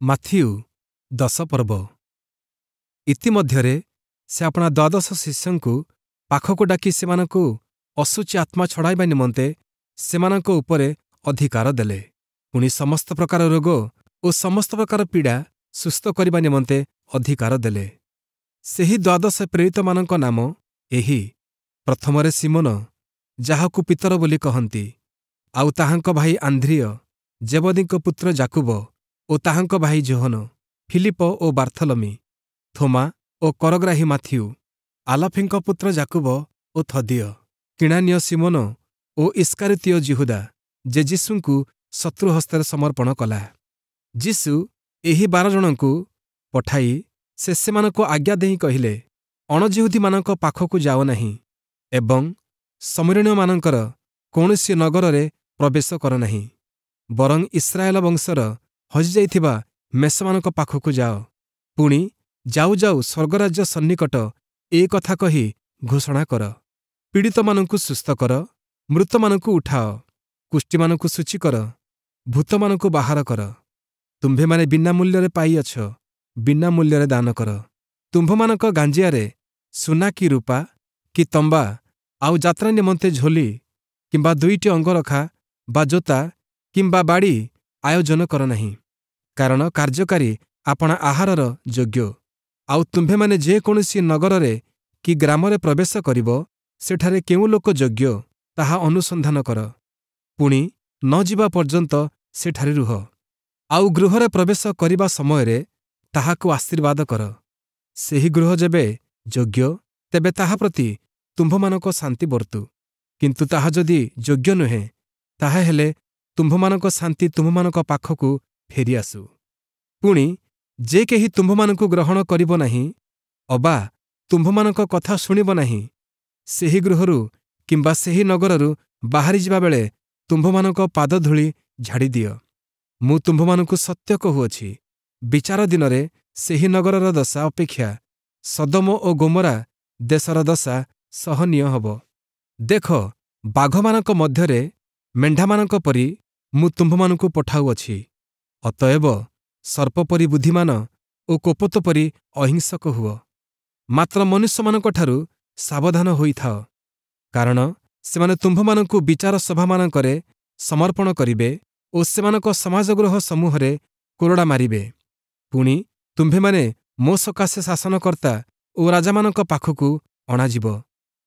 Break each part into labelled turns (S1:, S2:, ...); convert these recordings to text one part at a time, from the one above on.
S1: Matthew 10 ପର୍ବ। ଇତିମଧ୍ୟରେ ସେ ଆପଣା ଦ୍ୱାଦଶ ଶିଷ୍ୟଙ୍କୁ ପାଖକୁ ଡାକି ସେମାନଙ୍କୁ ଅଶୁଚି ଆତ୍ମା ଛଡ଼ାଇବା ନିମନ୍ତେ ସେମାନଙ୍କ ଉପରେ ଅଧିକାର ଦେଲେ। ପୁଣି ସମସ୍ତ ପ୍ରକାର ରୋଗ ଓ ସମସ୍ତ ପ୍ରକାର ପୀଡ଼ା ସୁସ୍ଥ କରିବା ନିମନ୍ତେ ଅଧିକାର ଦେଲେ। ସେହି ଦ୍ୱାଦଶ ପ୍ରେରିତମାନଙ୍କ ନାମ ଏହି: ପ୍ରଥମରେ ଶିମୋନ, ଯାହାକୁ ପିତର ବୋଲି କହନ୍ତି, ଆଉ ତାହାଙ୍କ ଭାଇ ଆନ୍ଦ୍ରିୟ, ଜେବଦୀଙ୍କ ପୁତ୍ର ଯାକୁବ ଓ ତାହାଙ୍କ ଭାଇ ଯୋହନ, ଫିଲିପ ଓ ବାର୍ଥଲମି, ଥୋମା ଓ କରଗ୍ରାହୀ ମାଥିଉ, ଆଲଫିଙ୍କ ପୁତ୍ର ଯାକୁବ ଓ ଥଦିୟ, କିଣାନୀୟ ଶିମୋନ ଓ ଇଷ୍କାରିତୀୟ ଯିହୁଦା, ଯେ ଯୀଶୁଙ୍କୁ ଶତ୍ରୁ ହସ୍ତରେ ସମର୍ପଣ କଲା। ଯୀଶୁ ଏହି 12 ଜଣଙ୍କୁ ପଠାଇ ସେ ସେମାନଙ୍କୁ ଆଜ୍ଞା ଦେଇ କହିଲେ, ଅଣଯିହୁଦୀମାନଙ୍କ ପାଖକୁ ଯାଅ ନାହିଁ ଏବଂ ଶମିରୋଣୀୟମାନଙ୍କର କୌଣସି ନଗରରେ ପ୍ରବେଶ କର ନାହିଁ, ବରଂ ଇସ୍ରାଏଲ ବଂଶର ହଜିଯାଇଥିବା ମେଷମାନଙ୍କ ପାଖକୁ ଯାଅ। ପୁଣି ଯାଉ ଯାଉ ସ୍ୱର୍ଗରାଜ୍ୟ ସନ୍ନିକଟ, ଏ କଥା କହି ଘୋଷଣା କର। ପୀଡ଼ିତମାନଙ୍କୁ ସୁସ୍ଥ କର, ମୃତମାନଙ୍କୁ ଉଠାଅ, କୁଷ୍ଠୀମାନଙ୍କୁ ଶୁଚି କର, ଭୂତମାନଙ୍କୁ ବାହାର କର। ତୁମ୍ଭେମାନେ ବିନା ମୂଲ୍ୟରେ ପାଇଅଛ, ବିନା ମୂଲ୍ୟରେ ଦାନ କର। ତୁମ୍ଭମାନଙ୍କ ଗାଞ୍ଜିଆରେ ସୁନା କି ରୂପା କି ତମ୍ବା, ଆଉ ଯାତ୍ରା ନିମନ୍ତେ ଝୋଲି କିମ୍ବା ଦୁଇଟି ଅଙ୍ଗରଖା ବା ଜୋତା କିମ୍ବା ବାଡ଼ି ଆୟୋଜନ କର ନାହିଁ, କାରଣ କାର୍ଯ୍ୟକାରୀ ଆପଣା ଆହାରର ଯୋଗ୍ୟ। ଆଉ ତୁମ୍ଭେମାନେ ଯେକୌଣସି ନଗରରେ କି ଗ୍ରାମରେ ପ୍ରବେଶ କରିବ, ସେଠାରେ କେଉଁ ଲୋକ ଯୋଗ୍ୟ ତାହା ଅନୁସନ୍ଧାନ କର, ପୁଣି ନ ଯିବା ପର୍ଯ୍ୟନ୍ତ ସେଠାରେ ରୁହ। ଆଉ ଗୃହରେ ପ୍ରବେଶ କରିବା ସମୟରେ ତାହାକୁ ଆଶୀର୍ବାଦ କର। ସେହି ଗୃହ ଯେବେ ଯୋଗ୍ୟ, ତେବେ ତାହା ପ୍ରତି ତୁମ୍ଭମାନଙ୍କ ଶାନ୍ତି ବର୍ତ୍ତୁ। କିନ୍ତୁ ତାହା ଯଦି ଯୋଗ୍ୟ ନୁହେଁ, ତାହାହେଲେ ତୁମ୍ଭମାନଙ୍କ ଶାନ୍ତି ତୁମ୍ଭମାନଙ୍କ ପାଖକୁ ଫେରିଆସୁ। ପୁଣି ଯେ କେହି ତୁମ୍ଭମାନଙ୍କୁ ଗ୍ରହଣ କରିବ ନାହିଁ ଅବା ତୁମ୍ଭମାନଙ୍କ କଥା ଶୁଣିବ ନାହିଁ, ସେହି ଗୃହରୁ କିମ୍ବା ସେହି ନଗରରୁ ବାହାରିଯିବା ବେଳେ ତୁମ୍ଭମାନଙ୍କ ପାଦଧୂଳି ଝାଡ଼ିଦିଅ। ମୁଁ ତୁମ୍ଭମାନଙ୍କୁ ସତ୍ୟ କହୁଅଛି, ବିଚାର ଦିନରେ ସେହି ନଗରର ଦଶା ଅପେକ୍ଷା ସଦୋମ ଓ ଗୋମରା ଦେଶର ଦଶା ସହନୀୟ ହେବ। ଦେଖ, ବାଘମାନଙ୍କ ମଧ୍ୟରେ ମେଣ୍ଢାମାନଙ୍କ ପରି ମୁଁ ତୁମ୍ଭମାନଙ୍କୁ ପଠାଉଅଛି। ଅତଏବ ସର୍ପ ପରି ବୁଦ୍ଧିମାନ ଓ କପୋତ ପରି ଅହିଂସକ ହୁଅ। ମାତ୍ର ମନୁଷ୍ୟମାନଙ୍କଠାରୁ ସାବଧାନ ହୋଇଥାଅ, କାରଣ ସେମାନେ ତୁମ୍ଭମାନଙ୍କୁ ବିଚାର ସଭାମାନଙ୍କରେ ସମର୍ପଣ କରିବେ ଓ ସେମାନଙ୍କ ସମାଜଗୃହ ସମୂହରେ କୋରଡ଼ା ମାରିବେ। ପୁଣି ତୁମ୍ଭେମାନେ ମୋ ସକାଶେ ଶାସନକର୍ତ୍ତା ଓ ରାଜାମାନଙ୍କ ପାଖକୁ ଅଣାଯିବ,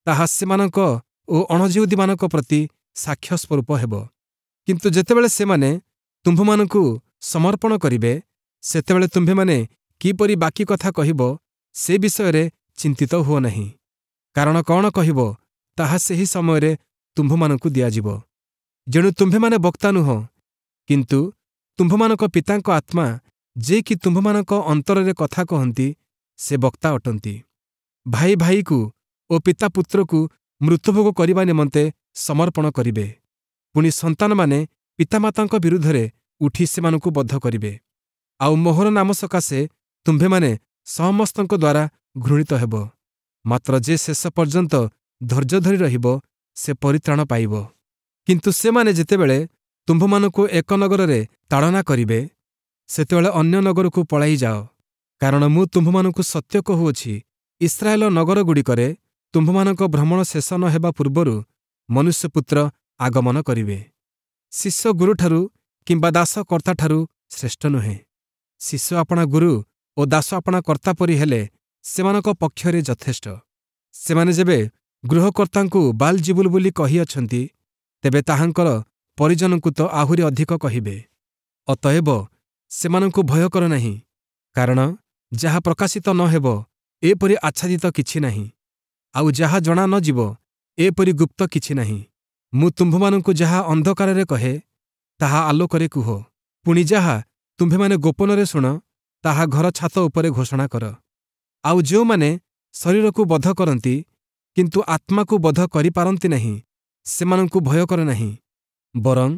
S1: ତାହା ସେମାନଙ୍କ ଓ ଅଣଯିହୁଦୀମାନଙ୍କ ପ୍ରତି ସାକ୍ଷ୍ୟ ସ୍ୱରୂପ ହେବ। କିନ୍ତୁ ଯେତେବେଳେ ସେମାନେ ତୁମ୍ଭମାନଙ୍କୁ ସମର୍ପଣ କରିବେ, ସେତେବେଳେ ତୁମ୍ଭେମାନେ କିପରି ବାକି କଥା କହିବ ସେ ବିଷୟରେ ଚିନ୍ତିତ ହୁଅ ନାହିଁ, କାରଣ କ'ଣ କହିବ ତାହା ସେହି ସମୟରେ ତୁମ୍ଭମାନଙ୍କୁ ଦିଆଯିବ। ଯେଣୁ ତୁମ୍ଭେମାନେ ବକ୍ତା ନୁହଁ, କିନ୍ତୁ ତୁମ୍ଭମାନଙ୍କ ପିତାଙ୍କ ଆତ୍ମା ଯେ କି ତୁମ୍ଭମାନଙ୍କ ଅନ୍ତରରେ କଥା କହନ୍ତି, ସେ ବକ୍ତା ଅଟନ୍ତି। ଭାଇ ଭାଇକୁ ଓ ପିତା ପୁତ୍ରକୁ ମୃତ୍ୟୁଭୋଗ କରିବା ନିମନ୍ତେ ସମର୍ପଣ କରିବେ। ପୁଣି ସନ୍ତାନମାନେ ପିତାମାତାଙ୍କ ବିରୁଦ୍ଧରେ ଉଠି ସେମାନଙ୍କୁ ବଧ କରିବେ। ଆଉ ମୋହର ନାମ ସକାଶେ ତୁମ୍ଭେମାନେ ସମସ୍ତଙ୍କ ଦ୍ୱାରା ଘୃଣିତ ହେବ। ମାତ୍ର ଯେ ଶେଷ ପର୍ଯ୍ୟନ୍ତ ଧୈର୍ଯ୍ୟ ଧରି ରହିବ, ସେ ପରିତ୍ରାଣ ପାଇବ। କିନ୍ତୁ ସେମାନେ ଯେତେବେଳେ ତୁମ୍ଭମାନଙ୍କୁ ଏକ ନଗରରେ ତାଡ଼ନା କରିବେ, ସେତେବେଳେ ଅନ୍ୟ ନଗରକୁ ପଳାଇ ଯାଅ। କାରଣ ମୁଁ ତୁମ୍ଭମାନଙ୍କୁ ସତ୍ୟ କହୁଅଛି, ଇସ୍ରାଏଲ ନଗରଗୁଡ଼ିକରେ ତୁମ୍ଭମାନଙ୍କ ଭ୍ରମଣ ଶେଷ ନ ହେବା ପୂର୍ବରୁ ମନୁଷ୍ୟପୁତ୍ର ଆଗମନ କରିବେ। ଶିଷ୍ୟ ଗୁରୁଠାରୁ କିମ୍ବା ଦାସ କର୍ତ୍ତାଠାରୁ ଶ୍ରେଷ୍ଠ ନୁହେଁ। ଶିଷ୍ୟ ଆପଣା ଗୁରୁ ଓ ଦାସ ଆପଣା କର୍ତ୍ତା ପରି ହେଲେ ସେମାନଙ୍କ ପକ୍ଷରେ ଯଥେଷ୍ଟ। ସେମାନେ ଯେବେ ଗୃହକର୍ତ୍ତାଙ୍କୁ ବାଲ୍‌ଜିବୁଲ ବୋଲି କହିଅଛନ୍ତି, ତେବେ ତାହାଙ୍କର ପରିଜନଙ୍କୁ ତ ଆହୁରି ଅଧିକ କହିବେ। ଅତଏବ ସେମାନଙ୍କୁ ଭୟ କର ନାହିଁ, କାରଣ ଯାହା ପ୍ରକାଶିତ ନ ହେବ, ଏପରି ଆଚ୍ଛାଦିତ କିଛି ନାହିଁ, ଆଉ ଯାହା ଜଣା ନ ଯିବ, ଏପରି ଗୁପ୍ତ କିଛି ନାହିଁ। ମୁଁ ତୁମ୍ଭମାନଙ୍କୁ ଯାହା ଅନ୍ଧକାରରେ କହେ, ତାହା ଆଲୋକରେ କୁହ। ପୁଣି ଯାହା ତୁମ୍ଭେମାନେ ଗୋପନରେ ଶୁଣ, ତାହା ଘର ଛାତ ଉପରେ ଘୋଷଣା କର। ଆଉ ଯେଉଁମାନେ ଶରୀରକୁ ବଧ କରନ୍ତି, କିନ୍ତୁ ଆତ୍ମାକୁ ବଧ କରିପାରନ୍ତି ନାହିଁ, ସେମାନଙ୍କୁ ଭୟ କର ନାହିଁ। ବରଂ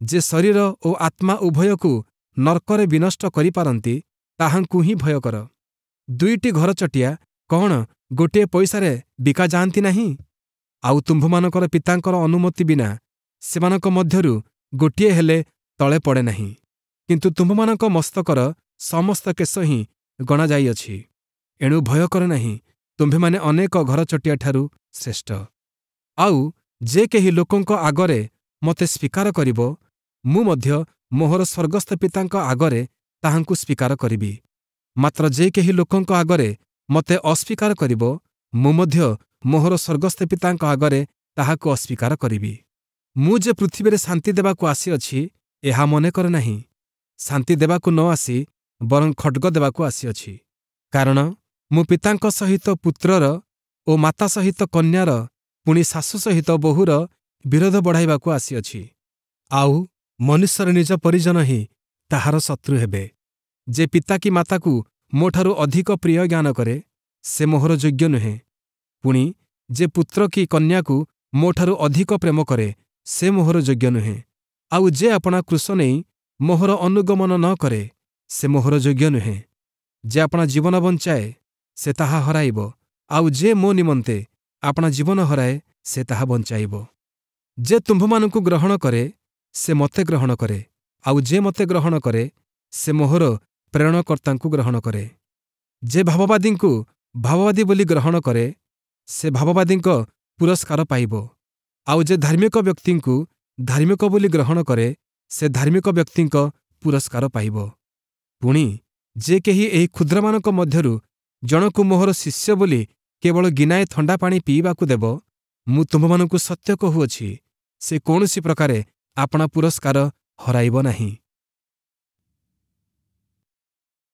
S1: ଯେ ଶରୀର ଓ ଆତ୍ମା ଉଭୟକୁ ନର୍କରେ ବିନଷ୍ଟ କରିପାରନ୍ତି, ତାହାଙ୍କୁ ହିଁ ଭୟ କର। ଦୁଇଟି ଘରଚଟିଆ କ'ଣ ଗୋଟିଏ ପଇସାରେ ବିକା ଯାଆନ୍ତି ନାହିଁ? ଆଉ ତୁମ୍ଭମାନଙ୍କର ପିତାଙ୍କର ଅନୁମତି ବିନା ସେମାନଙ୍କ ମଧ୍ୟରୁ ଗୋଟିଏ ହେଲେ ତଳେ ପଡ଼େ ନାହିଁ। କିନ୍ତୁ ତୁମ୍ଭମାନଙ୍କ ମସ୍ତକର ସମସ୍ତ କେଶ ହିଁ ଗଣାଯାଇଅଛି। ଏଣୁ ଭୟ କର ନାହିଁ, ତୁମ୍ଭେମାନେ ଅନେକ ଘରଚଟିଆଠାରୁ ଶ୍ରେଷ୍ଠ। ଆଉ ଯେ କେହି ଲୋକଙ୍କ ଆଗରେ ମୋତେ ସ୍ୱୀକାର କରିବ, ମୁଁ ମଧ୍ୟ ମୋହର ସ୍ୱର୍ଗସ୍ଥ ପିତାଙ୍କ ଆଗରେ ତାହାଙ୍କୁ ସ୍ୱୀକାର କରିବି। ମାତ୍ର ଯେ କେହି ଲୋକଙ୍କ ଆଗରେ ମୋତେ ଅସ୍ୱୀକାର କରିବ, ମୁଁ ମଧ୍ୟ ମୋହର ସ୍ୱର୍ଗସ୍ଥ ପିତାଙ୍କ ଆଗରେ ତାହାକୁ ଅସ୍ୱୀକାର କରିବି। ମୁଁ ଯେ ପୃଥିବୀରେ ଶାନ୍ତି ଦେବାକୁ ଆସିଅଛି, ଏହା ମନେ କର ନାହିଁ। ଶାନ୍ତି ଦେବାକୁ ନ ଆସି ବରଂ ଖଡ଼୍ଗ ଦେବାକୁ ଆସିଅଛି। କାରଣ ମୁଁ ପିତାଙ୍କ ସହିତ ପୁତ୍ରର ଓ ମାତା ସହିତ କନ୍ୟାର, ପୁଣି ଶାଶୁ ସହିତ ବୋହୂର ବିରୋଧ ବଢ଼ାଇବାକୁ ଆସିଅଛି। ଆଉ ମନୁଷ୍ୟର ନିଜ ପରିଜନ ହିଁ ତାହାର ଶତ୍ରୁ ହେବେ। ଯେ ପିତା କି ମାତାକୁ ମୋଠାରୁ ଅଧିକ ପ୍ରିୟ ଜ୍ଞାନ କରେ, ସେ ମୋହର ଯୋଗ୍ୟ ନୁହେଁ। ପୁଣି ଯେ ପୁତ୍ର କି କନ୍ୟାକୁ ମୋଠାରୁ ଅଧିକ ପ୍ରେମ କରେ, ସେ ମୋହର ଯୋଗ୍ୟ ନୁହେଁ। ଆଉ ଯେ ଆପଣା କ୍ରୁଶ ନେଇ ମୋହର ଅନୁଗମନ ନ କରେ, ସେ ମୋହର ଯୋଗ୍ୟ ନୁହେଁ। ଯେ ଆପଣା ଜୀବନ ବଞ୍ଚାଏ, ସେ ତାହା ହରାଇବ। ଆଉ ଯେ ମୋ ନିମନ୍ତେ ଆପଣା ଜୀବନ ହରାଏ, ସେ ତାହା ବଞ୍ଚାଇବ। ଯେ ତୁମ୍ଭମାନଙ୍କୁ ଗ୍ରହଣ କରେ, ସେ ମୋତେ ଗ୍ରହଣ କରେ। ଆଉ ଯେ ମୋତେ ଗ୍ରହଣ କରେ, ସେ ମୋହର ପ୍ରେରଣକର୍ତ୍ତାଙ୍କୁ ଗ୍ରହଣ କରେ। ଯେ ଭାବବାଦୀଙ୍କୁ ଭାବବାଦୀ ବୋଲି ଗ୍ରହଣ କରେ, ସେ ଭାବବାଦୀଙ୍କ ପୁରସ୍କାର ପାଇବ। ଆଉ ଯେ ଧାର୍ମିକ ବ୍ୟକ୍ତିଙ୍କୁ ଧାର୍ମିକ ବୋଲି ଗ୍ରହଣ କରେ, ସେ ଧାର୍ମିକ ବ୍ୟକ୍ତିଙ୍କ ପୁରସ୍କାର ପାଇବ। ପୁଣି ଯେ କେହି ଏହି କ୍ଷୁଦ୍ରମାନଙ୍କ ମଧ୍ୟରୁ ଜଣକୁ ମୋହର ଶିଷ୍ୟ ବୋଲି କେବଳ ଗିନାଏ ଥଣ୍ଡା ପାଣି ପିଇବାକୁ ଦେବ, ମୁଁ ତୁମ୍ଭମାନଙ୍କୁ ସତ୍ୟ କହୁଅଛି, ସେ କୌଣସି ପ୍ରକାରେ ଆପଣା ପୁରସ୍କାର ହରାଇବ ନାହିଁ।